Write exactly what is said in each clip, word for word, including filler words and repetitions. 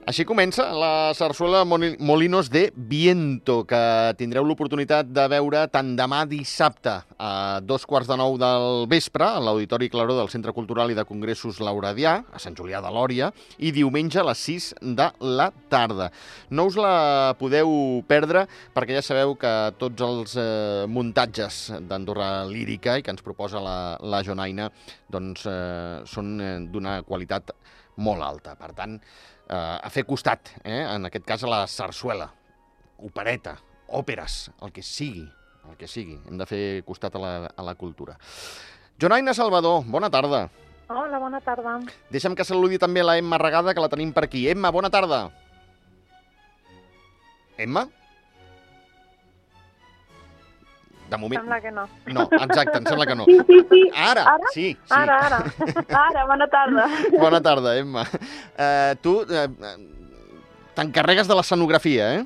Així comença la sarsuela Molinos de Viento, que tindreu l'oportunitat de veure tant demà dissabte a dos quarts de nou del vespre a l'Auditori Claró del Centre Cultural i de Congressos Lauradià, a Sant Julià de Lòria, i diumenge a les sis de la tarda. No us la podeu perdre perquè ja sabeu que tots els eh, muntatges d'Andorra Lírica i que ens proposa la, la Jonaina doncs, eh, són eh, d'una qualitat molt alta. Per tant, eh, a fer costat, eh, en aquest cas a la sarsuela, opereta, òperes, el que sigui, el que sigui. Hem de fer costat a la, a la cultura. Jonaina Salvador, bona tarda. Hola, bona tarda. Deixa'm que saludi també la Emma Regada, que la tenim per aquí. Emma, bona tarda. Emma? De moment... Sembla que no. No, exacte, em sembla que no. Sí, sí, sí. Ara, ara? sí, sí. Ara, ara. Ara, bona tarda. Bona tarda, Emma. Uh, tu uh, t'encarregues de l'escenografia, eh?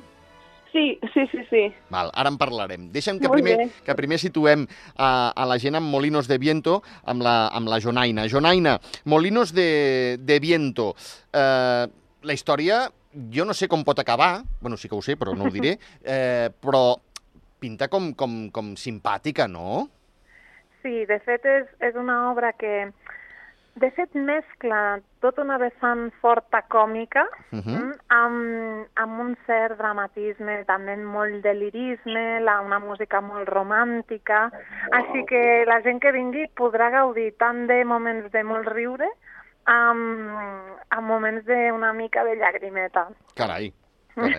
Sí, sí, sí, sí. Val, ara en parlarem. Deixa'm que Molt primer, bé. que primer situem a, a la gent amb Molinos de Viento, amb la, amb la Jonaina. Jonaina, Molinos de, de Viento. Uh, la història, jo no sé com pot acabar, bueno, sí que ho sé, però no ho diré, eh, però pinta com, com, com simpàtica, no? Sí, de fet és, és una obra que, de fet, mescla tota una vessant forta còmica Uh -huh. mm, amb, amb un cert dramatisme, també molt de lirisme, la, una música molt romàntica, així que la gent que vingui podrà gaudir tant de moments de molt riure amb, amb moments d'una mica de llagrimeta. Carai. Sí.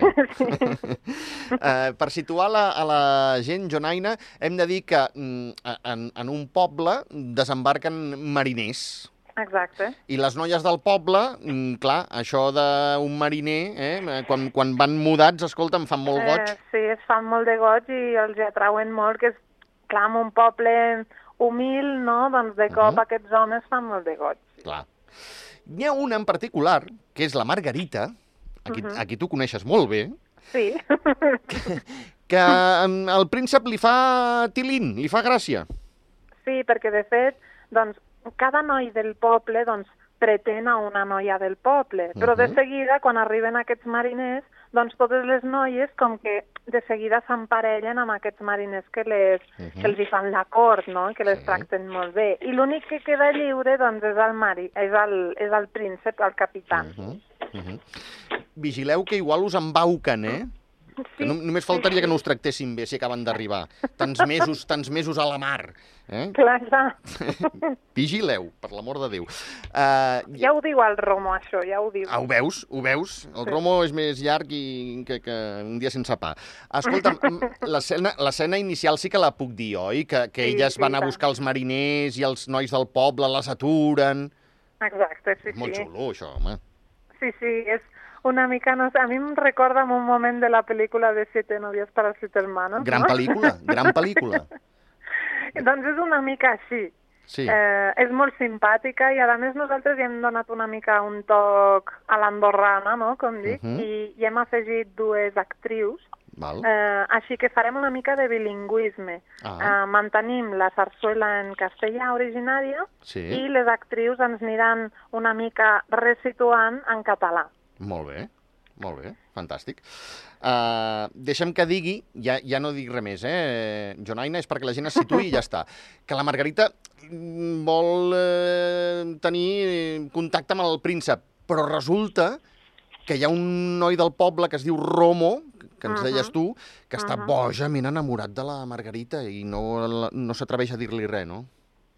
uh, per situar la, a la gent, Jonaina, hem de dir que mm, en, en un poble desembarquen mariners. Exacte. I les noies del poble, mm, clar, això d'un mariner, eh, quan, quan van mudats, escolta, em fan molt goig. Eh, sí, es fan molt de goig i els atrauen molt, que és, clar, en un poble humil, no?, doncs de cop Uh -huh. aquests homes fan molt de goig. Clar. N'hi ha una en particular, que és la Margarita, aquí, Uh -huh. aquí tu coneixes molt bé, Sí. que al príncep li fa tilín, li fa gràcia. Sí, perquè de fet, doncs, cada noi del poble, doncs, pretén a una noia del poble, però de Uh-huh. seguida, quan arriben aquests mariners, doncs totes les noies com que de seguida s'emparellen amb aquests mariners que, les, Uh-huh. que els hi fan la cort, no?, que les Sí. tracten molt bé. I l'únic que queda lliure, doncs, és el, mari, és el, és el príncep, el capità. Uh-huh. Uh-huh. Vigileu que igual us embauquen, eh? Que Sí, no, només faltaria que no us tractessin bé si acaben d'arribar. Tants mesos, tants mesos a la mar. Eh? clar, clar. Vigileu, per l'amor de Déu. Uh, Ja ho diu el Romo, això, ja ho diu. Ah, ho veus? Ho veus? El Romo és més llarg i que, que un dia sense pa. Escolta'm, l'escena l'escena inicial sí que la puc dir, oi? Que, que Sí, elles sí, van a tant. buscar els mariners i els nois del poble les aturen. Exacte, sí, És molt sí. xulo, això, home. Sí, sí, és una mica, no sé, a mi em recorda en un moment de la pel·lícula de Siete novias para siete hermanos, Gran no? pel·lícula, gran pel·lícula. Doncs és una mica així. Sí. Eh, és molt simpàtica i a més nosaltres hi hem donat una mica un toc a l'andorrana, no?, com dic, Uh -huh. i, i hem afegit dues actrius, Val. eh, així que farem una mica de bilingüisme. Ah. Eh, mantenim la sarsuela en castellà originària Sí. i les actrius ens aniran una mica resituant en català. Molt bé, molt bé, fantàstic. Uh, deixa'm que digui, ja, ja no dic res més, eh, Jonaina, és perquè la gent es situï i ja està, que la Margarita mm, vol eh, tenir contacte amb el príncep, però resulta que hi ha un noi del poble que es diu Romo, que ens Uh-huh. deies tu, que està Uh-huh. bojament enamorat de la Margarita i no, no s'atreveix a dir-li res, no?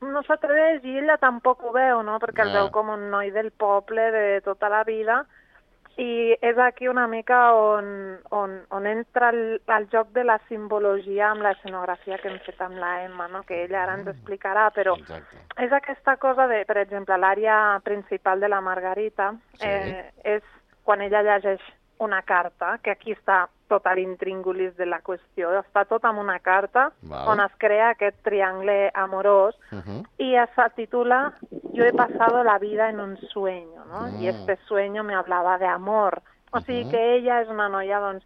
No s'atreveix i ella tampoc ho veu, no?, perquè el Ah. veu com un noi del poble de tota la vida. I és aquí una mica on, on, on entra el, el joc de la simbologia amb l'escenografia que hem fet amb la Emma, no?, que ella ara ens explicarà, però Exacte. és aquesta cosa de, per exemple, l'àrea principal de la Margarita, Sí. eh, és quan ella llegeix una carta, que aquí està tot l'intríngulis de la qüestió, està tot en una carta Val. on es crea aquest triangle amorós Uh-huh. y se titula Yo he pasado la vida en un sueño, ¿no? Mm. Y este sueño me hablaba de amor. O sigui Uh-huh. que ella és una noia, doncs,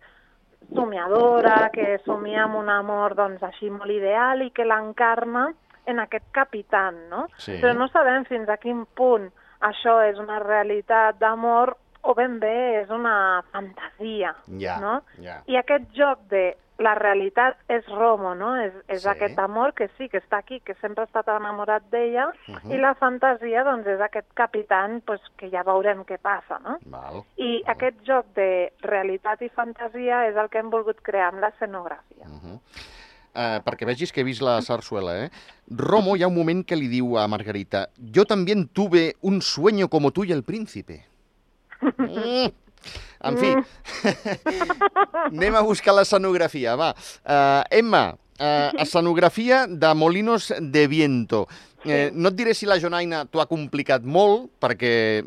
somiadora, que somia amb un amor, doncs, així molt ideal i que l'encarna en aquest capitán, no? Sí. Però no sabem fins a quin punt això és una realitat d'amor o ben bé és una fantasia, Ja, no? ja. I aquest joc de la realitat és Romo, no? És, és Sí. aquest amor que sí, que està aquí, que sempre ha estat enamorat d'ella, Mhm. i la fantasia, doncs, és aquest capitán pues, que ja veurem què passa, no? Val. I Val. aquest joc de realitat i fantasia és el que hem volgut crear amb l'escenografia. Uh-huh. Uh, perquè vegis que he vist la sarsuela, eh? Romo hi ha un moment que li diu a Margarita: «Yo también tuve un sueño como tú y el príncipe». Mm. En fi, anem a buscar l'escenografia, va. Uh, Emma, uh, escenografia de Molinos de Viento. Eh, no et diré si la Jonaina t'ho ha complicat molt, perquè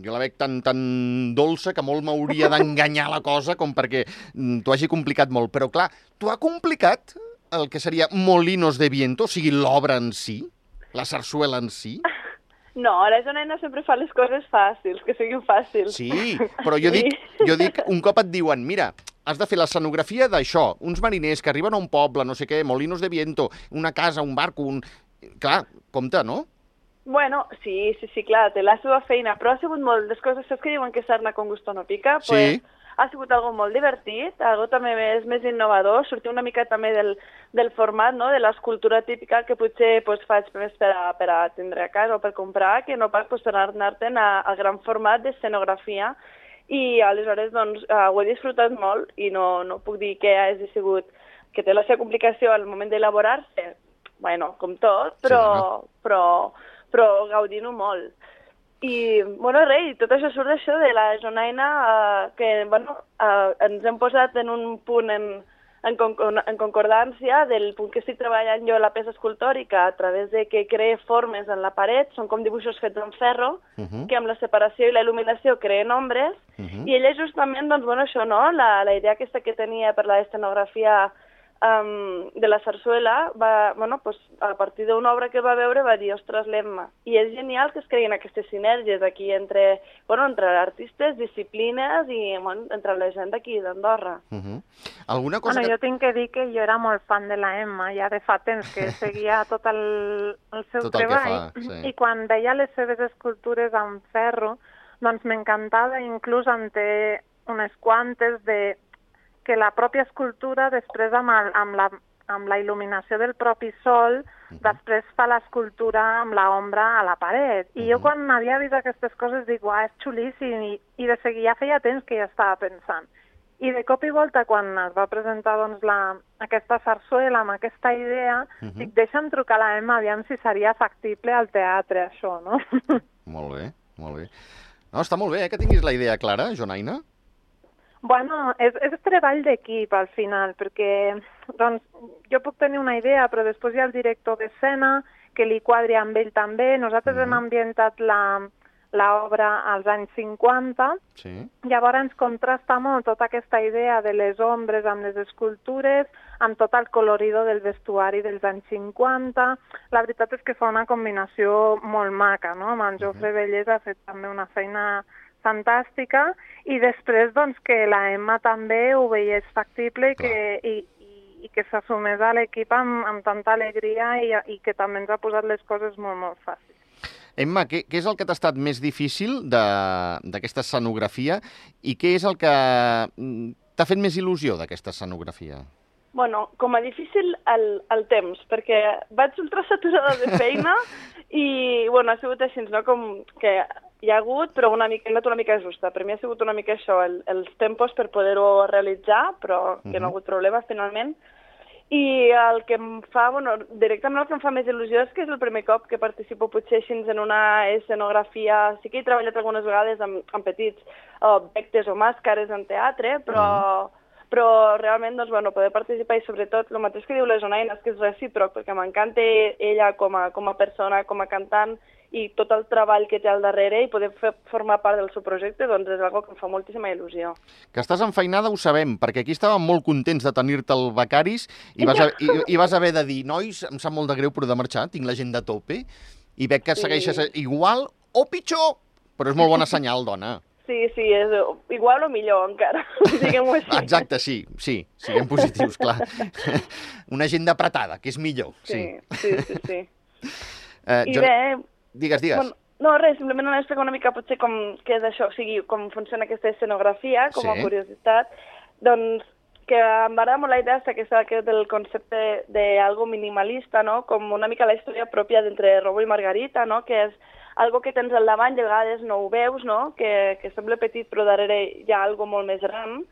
jo la veig tan, tan dolça que molt m'hauria d'enganyar la cosa com perquè t'ho hagi complicat molt. Però, clar, t'ho ha complicat el que seria Molinos de Viento, o sigui, l'obra en si, la sarsuela en si? No, la Jonaina sempre fa les coses fàcils, que siguin fàcils. Sí, però jo dic, jo dic, un cop et diuen, mira, has de fer l'escenografia d'això, uns mariners que arriben a un poble, no sé què, Molinos de Viento, una casa, un barco, un... Clar, compte, no? Bueno, sí, sí, sí, clar, té la seva feina, però ha sigut molt, les coses saps que diuen que sarna con gusto no pica, Sí. pues, ha sigut algo molt divertit, algo també més, més innovador, sortir una mica també del, del format, no?, de l'escultura típica que potser pues, faig més per a, per a tindre a casa o per comprar, que no pas pues, anar-te'n al gran format d'escenografia, i aleshores doncs, uh, ho he disfrutat molt i no, no puc dir que hagi sigut, que té la seva complicació al moment d'elaborar-se, bueno, com tot, però, Sí, no? però, però gaudint-ho molt. I, bueno, res, i tot això surt d'això de la Jonaina, eh, que, bueno, eh, ens hem posat en un punt en, en, con en concordància del punt que estic treballant jo a la peça escultòrica a través de que cree formes en la paret, són com dibuixos fets en ferro, Uh -huh. que amb la separació i la il·luminació creen ombres, Uh -huh. i ella justament, doncs, bueno, això, no?, la, la idea aquesta que tenia per la escenografia um, de la sarsuela, va, bueno, pues, a partir d'una obra que va veure va dir, ostres, l'Emma. I és genial que es creguin aquestes sinergies aquí entre, bueno, entre artistes, disciplines i bueno, entre la gent d'aquí d'Andorra. Uh -huh. Alguna cosa Bueno, que... jo tinc que dir que jo era molt fan de la Emma, ja de fa temps que seguia tot el, el seu Tot el que treball, fa, sí. i quan veia les seves escultures en ferro, doncs m'encantava, inclús en té unes quantes de que la pròpia escultura després amb, el, amb, la, amb la il·luminació del propi sol, Uh -huh. després fa l'escultura amb l'ombra a la paret. I Uh -huh. jo quan havia vist aquestes coses dic, uah, és xulíssim, i, i de seguir ja feia temps que ja estava pensant. I de cop i volta, quan es va presentar doncs, la, aquesta sarsuela amb aquesta idea, Uh -huh. dic, deixa'm trucar a la Emma, aviam si seria factible al teatre, això, no? Molt bé, molt bé. No, està molt bé, eh, que tinguis la idea clara, Jonaina. Bueno, és, és treball d'equip al final, perquè doncs, jo puc tenir una idea, però després hi ha el director d'escena que li quadri amb ell també. Nosaltres Mhm. hem ambientat la l'obra als anys cinquanta, Sí. llavors contrasta molt tota aquesta idea de les ombres amb les escultures, amb tot el colorido del vestuari dels anys cinquanta. La veritat és que fa una combinació molt maca, no? Amb en Jofre Vallès ha fet també una feina fantàstica, i després doncs, que la Emma també ho veiés factible i que, i, i, i que s'assumés a l'equip amb, amb tanta alegria i, i que també ens ha posat les coses molt, molt fàcils. Emma, què, què és el que t'ha estat més difícil d'aquesta escenografia i què és el que t'ha fet més il·lusió d'aquesta escenografia? Bueno, com a difícil el, el temps, perquè vaig ultrasaturada de feina i, bueno, ha sigut així, no?, com que hi ha hagut, però una mica, una mica justa. Per mi ha sigut una mica això, el, els tempos per poder-ho realitzar, però que no ha hagut problema, finalment. I el que em fa, bueno, directament el que em fa més il·lusió és que és el primer cop que participo potser així en una escenografia. Sí que he treballat algunes vegades amb, amb petits objectes o màscares en teatre, però... Mm. però realment, doncs, bueno, poder participar i sobretot el mateix que diu la Jonaina, és que és recíproc, perquè m'encanta ella com a, com a persona, com a cantant, i tot el treball que té al darrere i poder fer, formar part del seu projecte, doncs és una que em fa moltíssima il·lusió. Que estàs enfeinada ho sabem, perquè aquí estàvem molt contents de tenir-te al Becaris i vas, a, i, i vas haver de dir, nois, em sap molt de greu però de marxar, tinc l'agenda a tope, i veig que Sí. segueixes igual o pitjor, però és molt bona senyal, dona. Sí, sí, és igual o millor encara, diguem-ho així. Exacte, sí, sí, siguem positius, clar. Una agenda apretada, que és millor, sí. Sí, sí, sí. sí. Eh, I jo... bé... Digues, digues. Bueno, No, res, simplement anar a explicar una mica potser com què és això, o sigui, com funciona aquesta escenografia, com a Sí. curiositat. Doncs que em va agradar molt la idea aquesta que del concepte d'algo minimalista, no? Com una mica la història pròpia d'entre Robo i Margarita, no? Que és algo que tens al davant i a vegades no ho veus, no? Que, que sembla petit però darrere hi ha algo molt més gran.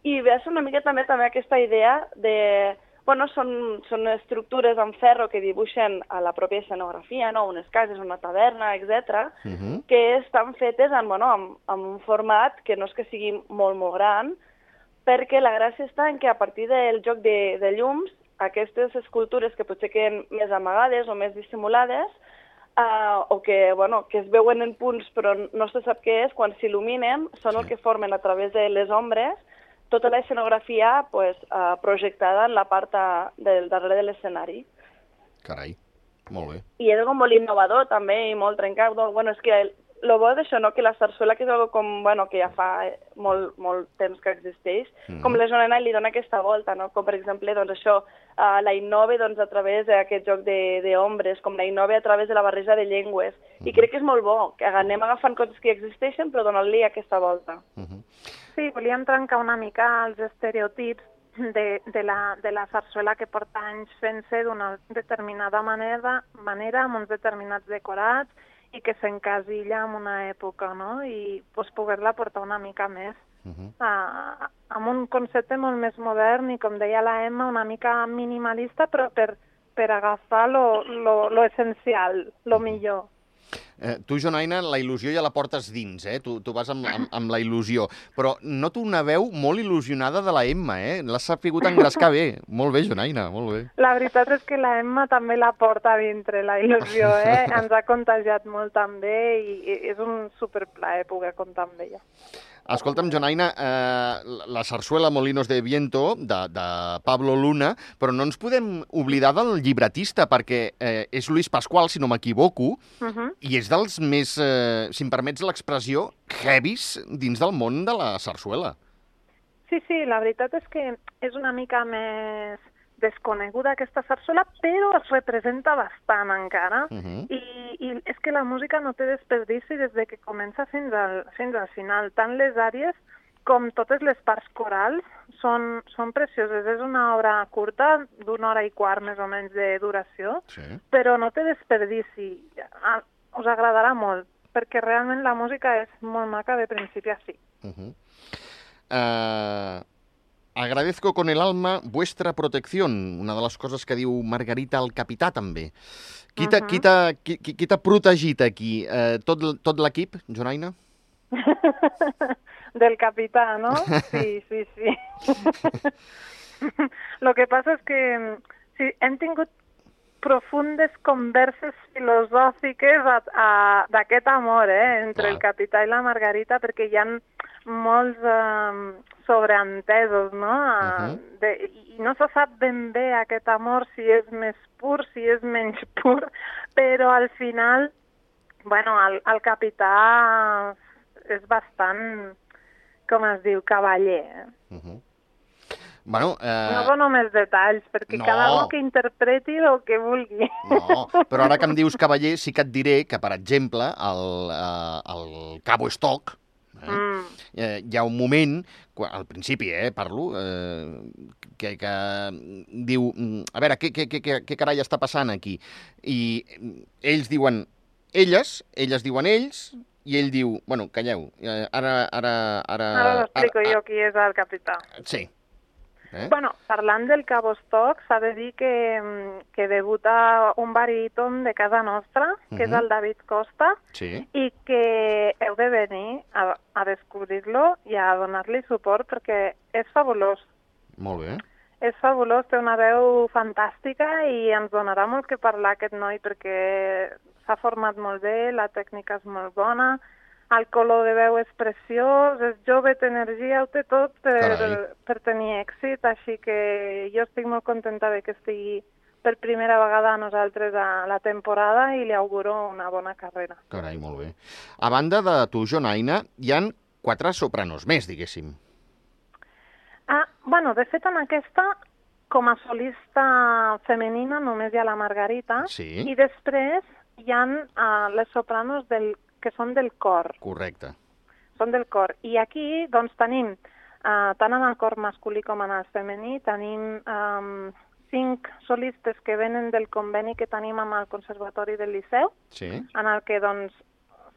I ve a ser una mica també també aquesta idea de... Bueno, són, són estructures en ferro que dibuixen a la pròpia escenografia, no? Unes cases, una taverna, etcètera, Uh -huh. que estan fetes en, bueno, en, en un format que no és que sigui molt, molt gran, perquè la gràcia està en que a partir del joc de, de llums, aquestes escultures que potser queden més amagades o més dissimulades, uh, o que, bueno, que es veuen en punts però no se sap què és, quan s'il·luminen, són Sí. el que formen a través de les ombres tota la escenografia pues, uh, projectada en la part uh, del darrere de l'escenari. Carai, molt bé. I és algo molt innovador també i molt trencat. Bueno, és que el, lo bo d'això, no? Que la sarsuela, que és algo com, bueno, que ja fa molt, molt temps que existeix, mm. com la Joana li dona aquesta volta, no? Com per exemple, doncs això, uh, la innova doncs, a través d'aquest joc d'ombres, com la innova a través de la barreja de llengües. Mm. I crec que és molt bo, que anem agafant coses que existeixen però donant-li aquesta volta. Uh -huh. Sí, volíem trencar una mica els estereotips de, de, la, de la sarsuela que porta anys fent-se d'una determinada manera, manera, amb uns determinats decorats, i que s'encasilla en una època, no? I pues, poder-la portar una mica més Uh -huh. a, amb un concepte molt més modern i, com deia la Emma, una mica minimalista, però per, per agafar lo, lo, lo essencial, lo millor. Eh, tu, Jonaina, la il·lusió ja la portes dins, eh? Tu, tu vas amb, amb, amb la il·lusió. Però noto una veu molt il·lusionada de la Emma, eh? L'has sapigut engrescar bé. Molt bé, Jonaina, molt bé. La veritat és que la Emma també la porta dintre, la il·lusió, eh? Ens ha contagiat molt també i és un superplaer poder comptar amb ella. Escolta'm, Jonaina, eh, la sarsuela Molinos de Viento, de, de Pablo Luna, però no ens podem oblidar del llibretista, perquè eh, és Luis Pascual, si no m'equivoco, Uh -huh. i és dels més, eh, si em permets l'expressió, heavies dins del món de la sarsuela. Sí, sí, la veritat és que és una mica més desconeguda aquesta sarsuela, però es representa bastant encara. Uh -huh. I, I és que la música no té desperdici des de que comença fins al, fins al final. Tant les àrees com totes les parts corals són, són precioses. És una obra curta, d'una hora i quart més o menys de duració, Sí. però no té desperdici. Ah, us agradarà molt, perquè realment la música és molt maca de principi a fi. Uh -huh. uh, agradezco con el alma vuestra protección, una de les coses que diu Margarita al capità, també. Qui t'ha Uh-huh. qui t'ha- qui, qui, qui t'ha protegit aquí? Uh, tot l- tot l'equip, Jonaina? Del capità, ¿no? Sí, sí, sí. Lo que passa és que sí, hem tingut profundes converses filosòfiques a- a- d'aquest amor, eh, entre Clar. el capità i la Margarita, perquè hi ha molts eh, sobreentesos, no? Uh-huh. De, I no se sap ben bé aquest amor si és més pur, si és menys pur, però al final, bueno, el, el capità és bastant, com es diu, cavaller. Eh? Uh -huh. Bueno, eh... No dono més detalls, perquè no. cada un que interpreti el que vulgui. No, però ara que em dius cavaller, sí que et diré que, per exemple, al, eh, al Cabo Stock, eh, Mm. eh, hi ha un moment, quan, al principi, eh, parlo, eh, que, que diu, mm, a veure, què, què, què, què, què carai està passant aquí? I ells diuen elles, elles diuen ells, i ell diu, bueno, calleu, eh, ara... Ara, ara, Ara l'explico ara- jo qui és el capità. Sí. Eh? Bueno, parlant del Cabo Stock, s'ha de dir que, mm, que debuta un baríton de casa nostra, que és Mhm. el David Costa, Sí. i que heu de venir a, a descobrir-lo i a donar-li suport perquè és fabulós. Molt bé. És fabulós, té una veu fantàstica i ens donarà molt que parlar aquest noi perquè s'ha format molt bé, la tècnica és molt bona, el color de veu és preciós, és jove, té energia, ho té tot per, Carai. per tenir èxit, així que jo estic molt contenta de que estigui per primera vegada a nosaltres a la temporada i li auguro una bona carrera. Carai, molt bé. A banda de tu, Jonaina, hi han quatre sopranos més, diguéssim. Ah, bueno, de fet en aquesta, com a solista femenina, només hi ha la Margarita, Sí. i després hi ha uh, les sopranos del, que són del cor. Correcte. Són del cor. I aquí doncs, tenim, uh, tant en el cor masculí com en el femení, tenim um, cinc solistes que venen del conveni que tenim amb el Conservatori del Liceu, Sí. en el que doncs,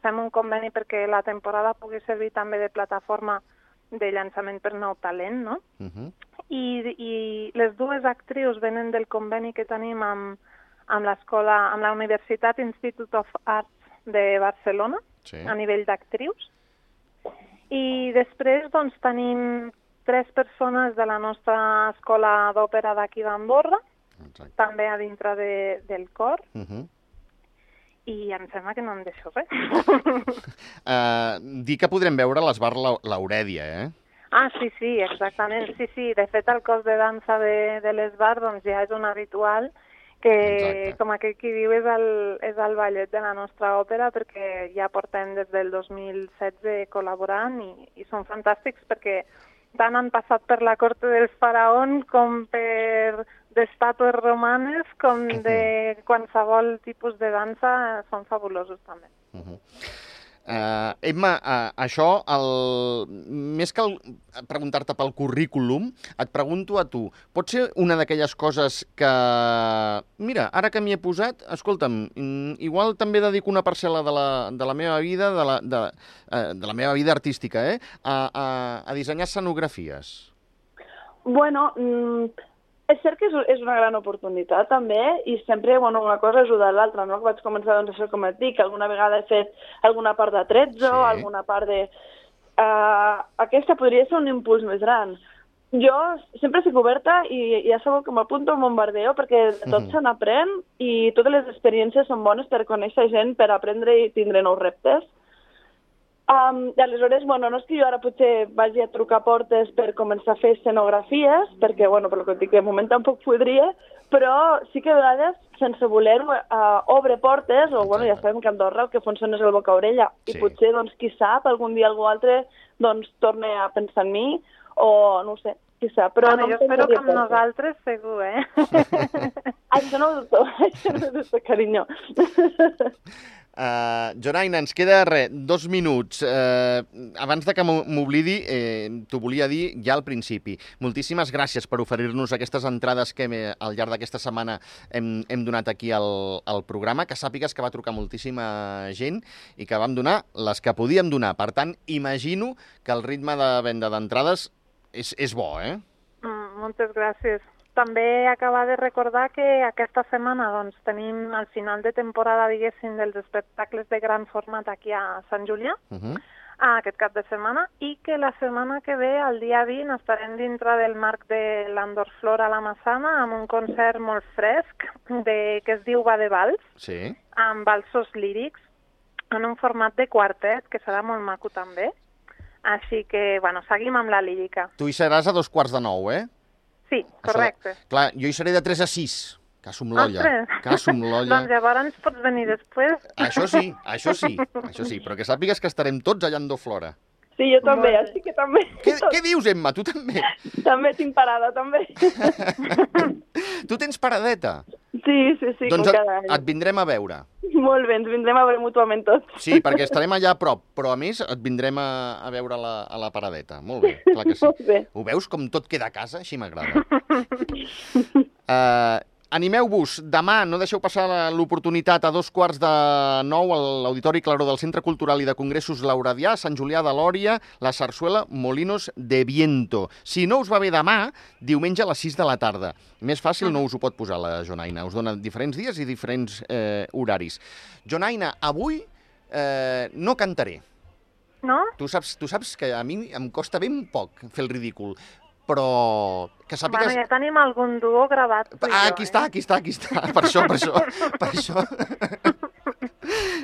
fem un conveni perquè la temporada pugui servir també de plataforma de llançament per nou talent, no? Uh -huh. I, i les dues actrius venen del conveni que tenim amb, amb l'escola, amb la Universitat Institute of Arts de Barcelona, Sí. a nivell d'actrius. I després doncs, tenim tres persones de la nostra escola d'òpera d'aquí d'Andorra, Exacte. també a dintre de, del cor, Uh -huh. i em sembla que no em deixo res. uh, dir que podrem veure l'Esbar Laurèdia, eh? Ah, sí, sí, exactament. Sí, sí, de fet el cos de dansa de, de l'Esbar doncs, ja és un habitual que, Exacte. com aquell qui diu, és el, és el ballet de la nostra òpera, perquè ja portem des del dos mil setze col·laborant i, i són fantàstics perquè tant han passat per la corte del faraó com per d'estàtues romanes com de qualsevol tipus de dansa, són fabulosos també. Uh -huh. Uh, Emma, uh, això, el... més que el... preguntar-te pel currículum, et pregunto a tu, pot ser una d'aquelles coses que... Mira, ara que m'hi he posat, escolta'm, igual també dedico una parcel·la de la, de la meva vida, de la, de, uh, de la meva vida artística, eh, a, a, a dissenyar escenografies. Bueno, mm, és cert que és, és una gran oportunitat, també, i sempre, bueno, una cosa ajuda a l'altra, no? Que vaig començar, doncs, això com et dic, alguna vegada he fet alguna part de tretzo, Sí. alguna part de... Uh, aquesta podria ser un impuls més gran. Jo sempre estic oberta i ja sabeu que m'apunto al bombardeo perquè de tot Mhm. se n'aprèn i totes les experiències són bones per conèixer gent, per aprendre i tindre nous reptes. Um, I aleshores, bueno, no és que jo ara potser vagi a trucar portes per començar a fer escenografies, perquè, bueno, per lo que et dic, de moment tampoc podria, però sí que a vegades, sense voler-ho, uh, obre portes, o, bueno, ja sabem que a Andorra el que funciona és el boca-orella, Sí. i potser, doncs, qui sap, algun dia algú altre, doncs, torne a pensar en mi, o, no ho sé, qui sap. Però Bueno, no jo espero que amb portes. nosaltres segur, eh? Això no ho dubto, això no ho dubto, carinyo. Uh, Jonaina, ens queda, res, dos minuts. Uh, abans de que m'oblidi, eh, t'ho volia dir ja al principi. Moltíssimes gràcies per oferir-nos aquestes entrades que hem, al llarg d'aquesta setmana hem, hem donat aquí al, al programa, que sàpigues que va trucar moltíssima gent i que vam donar les que podíem donar. Per tant, imagino que el ritme de venda d'entrades és, és bo, eh? Mm, moltes gràcies. També acabar de recordar que aquesta setmana doncs, tenim el final de temporada, diguéssim, dels espectacles de gran format aquí a Sant Julià, Uh -huh. aquest cap de setmana, i que la setmana que ve, el dia vint, estarem dintre del marc de l'Andor Flora a la Massana amb un concert molt fresc de, que es diu Va de Vals, Sí. amb balsos lírics, en un format de quartet, que serà molt maco també. Així que, bueno, seguim amb la lírica. Tu hi seràs a dos quarts de nou, eh? Sí, Això correcte. de- Clar, jo hi seré de tres a sis. Caso amb l'olla. Ostres. Caso amb l'olla. Doncs llavors pots venir després. Això sí, això sí, això sí, però que sàpigues que estarem tots allà en Flora. Sí, jo també, Molt bé. així que també. Què, què dius, Emma? Tu també? També tinc parada, també. Tu tens paradeta? Sí, sí, sí, Doncs com et, cada any. et vindrem a veure. Molt bé, ens vindrem a veure mútuament tots. Sí, perquè estarem allà a prop, però a més et vindrem a, a veure a la, a la paradeta. Molt bé, clar que sí. Molt bé. Ho veus com tot queda a casa? Així m'agrada. Uh, Animeu-vos, demà no deixeu passar la- l'oportunitat a dos quarts de nou a l'Auditori Claró del Centre Cultural i de Congressos Lauradià, a Sant Julià de Lòria, la sarsuela Molinos de Viento. Si no us va bé demà, diumenge a les sis de la tarda. Més fàcil no us ho pot posar la Jonaina, us dona diferents dies i diferents eh, horaris. Jonaina, avui eh, no cantaré. No? Tu saps, tu saps que a mi em costa ben poc fer el ridícul, però que sàpigues... Bueno, ja tenim algun duo gravat. tu i Ah, jo, aquí eh? està, aquí està, aquí està. Per això, per això, per això.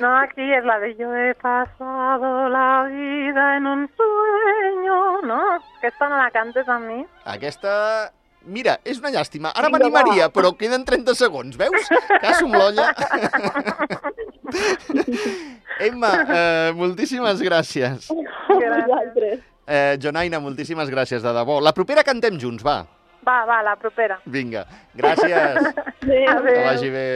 No, aquí es la de yo he pasado la vida en un sueño, no? Aquesta no la cantes amb mi. Aquesta... Mira, és una llàstima. Ara Vinga, m'animaria, va. però queden trenta segons, veus? Caso amb l'olla. Emma, eh, moltíssimes gràcies. Vosaltres. Eh, Jonaina, moltíssimes gràcies, de debò. La propera cantem junts, va. Va, va, la propera. Vinga, gràcies. Adéu. Que vagi bé.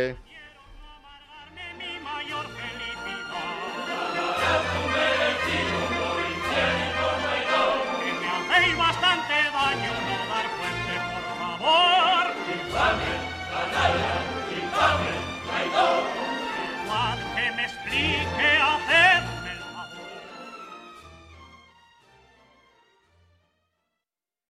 amic